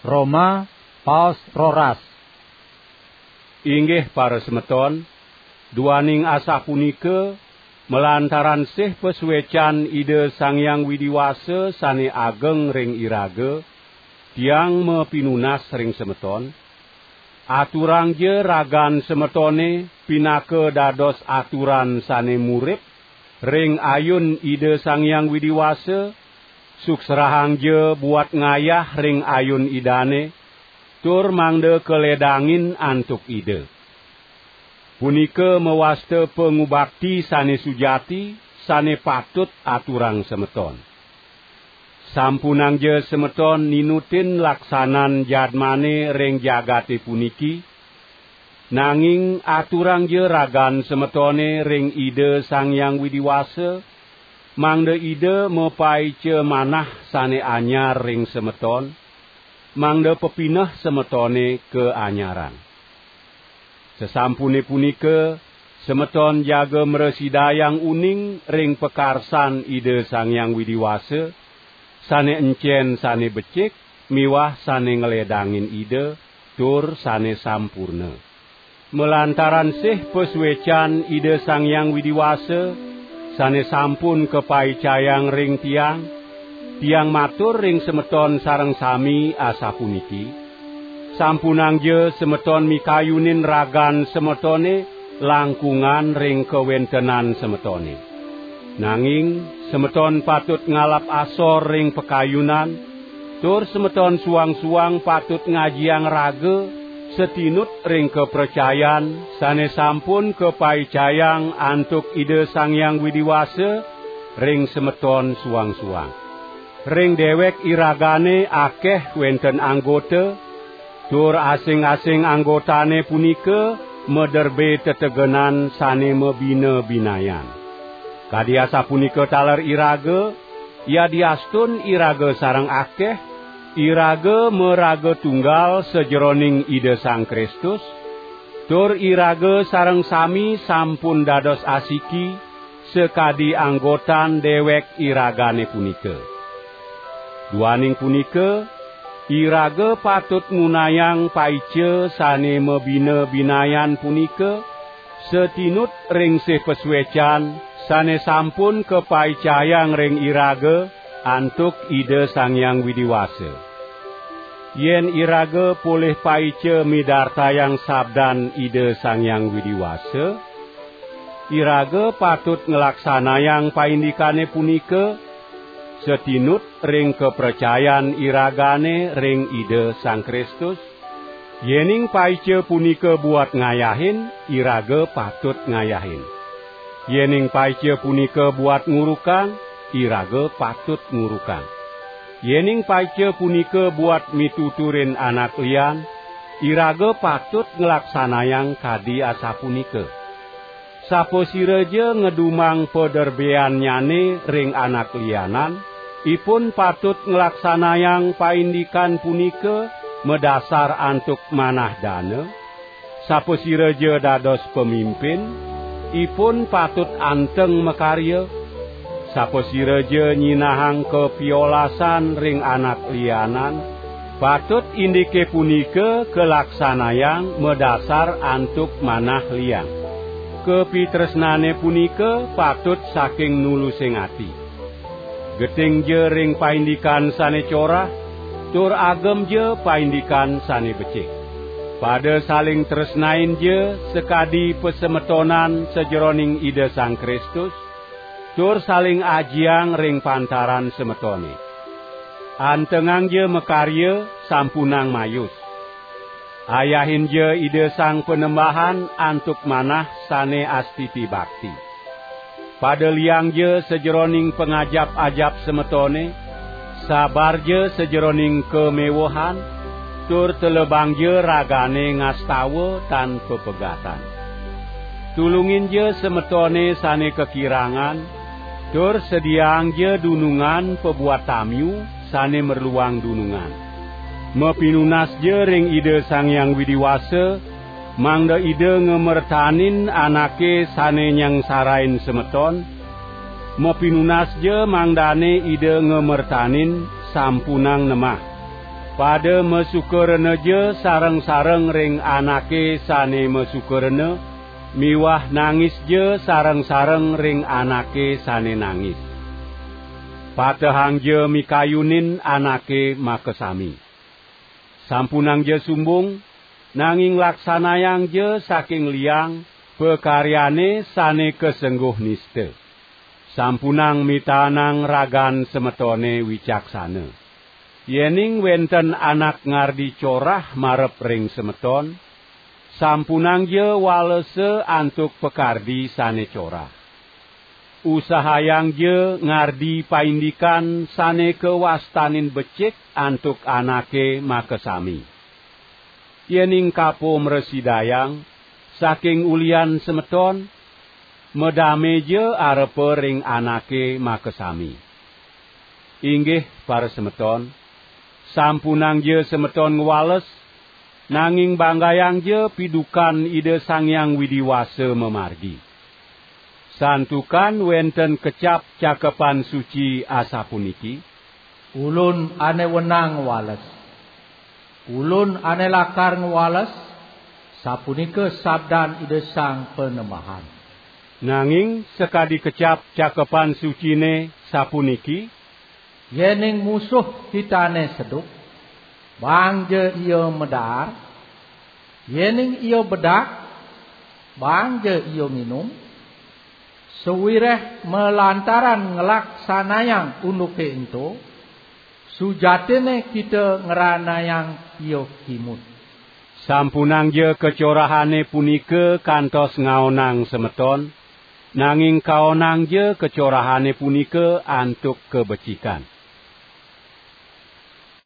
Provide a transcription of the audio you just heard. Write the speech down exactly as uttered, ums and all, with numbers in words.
Roma, paos roras. Inggih parasemeton, duaning asapunika, malantaran sih pasuecan Ida Sang Hyang Widi Wasa sane ageng ring iraga, tiang mapinunas ring semeton, aturangja ragan semetone pinaka dados aturan sane murip ring ayun Ida Sang Hyang Widi Wasa, suksrahangja buat ngayah ring ayun Idane, tur mangda kaledangin antuk Ida. Punika mawasta pangubakti sane sujati, sane patut aturang semeton. Sampunangja semeton ninutin laksanan jadmane ring jagate puniki, nanging aturangja ragan semetone ring Ida Sang Hyang Widi Wasa, mangda Ida mapaica manah sane anyar ring semeton, mangda pepineh semetone kaanyarang. Sasampune punika, semeton jaga mrasidayang uning ring pakarsan Ida Sang Hyang Widi Wasa, sane encen sane becik miwah sane ngledangin Ida, tur sane sampurna. Malantaran sih pasuecan Ida Sang Hyang Widi Wasa, sane sampun kapaicayang ring tiang, tiang matur ring semeton sareng sami asapuniki: Sampunangja semeton mikayunin ragan semetone langkungan ring kawentenan semetone. Nanging semeton patut ngalap asor ring pakayunan, tur semeton suang-suang patut ngajiang raga satinut ring kapracayan sane sampun kapaicayang antuk Ida Sang Hyang Widi Wasa ring semeton suang-suang. Ring dewek iragane akeh wenten anggota, tur asing-asing anggotane punika maderbe tetegenan sane mabina-binayan. Kadi asapunika taler iraga, yadiastun iraga sareng akeh, iraga maraga tunggal sajeroning Ida Sang Kristus, tur iraga sareng sami sampun dados asiki sakadi anggotan dewek iragane punika. Duaning punika, iraga patut ngunayang paica sane mabina-binayan punika satinut ring sih pasuecan sane sampun kapaicayang ring iraga antuk Ida Sang Hyang Widi Wasa. Yen iraga polih paica midartayang sabdan Ida Sang Hyang Widi Wasa, iraga patut nglaksanayang paindikane punika satinut ring kapracayan iragane ring Ida Sang Kristus. Yening paica punika buat ngayahin, iraga patut ngayahin. Yening paica punika buat ngurukang, iraga patut ngurukang. Yening paica punika buat mituturin anak lian, iraga patut nglaksanayang kadi asapunika. Sapasiraja ngedumang paderbeannyane ring anak lianan, ipun patut nglaksanayang paindikan punika madasar antuk manah dana. Sapasiraja dados pamimpin, ipun patut anteng makarya. Sapasiraja nyinahang kapiolasan ring anak lianan, patut indike punika kalaksanayang madasar antuk manah liang. Kapitresnane punika patut saking nulusing ati. Getingja ring paindikan sane corah, tur agemja paindikan sane becik. Pada saling tresnainja sakadi pasemetonan sajeroning Ida Sang Kristus, tur saling ajiang ring pantaran semetone. Antengangja makarya, sampunang mayus. Ayahinja Ida Sang Panembahan antuk manah sane astiti bakti. Pada liangja sajeroning pangajap-ajap semetone, sabarja sajeroning kamewehan, tur telebangja ragane ngastawa tan pepegatan. Tulunginja semetone sane kakirangan, tur sediaangja dunungan pabuat tamiu sane merluang dunungan. Mapinunasja ring Ida Sang Hyang Widi Wasa, mangda Ida ngamertanin anake sane nyangsarain semeton. Mapinunasja mangdane Ida ngamertanin sampunang nemah. Pada masuka renaja sareng-sareng ring anake sane masuka rena, miwah nangisja sareng-sareng ring anake sane nangis. Patehangja mikayunin anake makasami. Sampunangja sumbung, nanging laksanayangja saking liang pakaryane sane kasengguh nista. Sampunang mitaenang ragan semetone wicaksana. Yening wenten anak ngardi corah marep ring semeton, sampunangja walesa antuk pakardi sane corah. Usahayangja ngardi paindikan sane kawastanin becik antuk anake makasami. Yening kapo mrasidayang saking ulian semeton, madameja arepa ring anake makasami. Inggih parasemeton, sampunangja semeton ngwales, nanging banggayangja pidukan Ida Sang Hyang Widi Wasa mamargi. Santukan wenten kecap Cakepan Suci asapuniki, "Ulun ane wenang ngwales. Ulun ane lakar ngwales, sapunika sabdan Ida Sang Panembahan." Nanging sakadi kecap Cakepan Sucine sapuniki, "Yening musuh kitane seduk, baangja ia madaar, yening ia bedak, baangja ia nginum, sawireh malantaran nglaksanayang unduke ento, sujatinne kita ngranayang ia kimud." Sampunangja kacorahane punika kantos ngaonang semeton, nanging kaonangja kacorahane punika antuk kabecikan.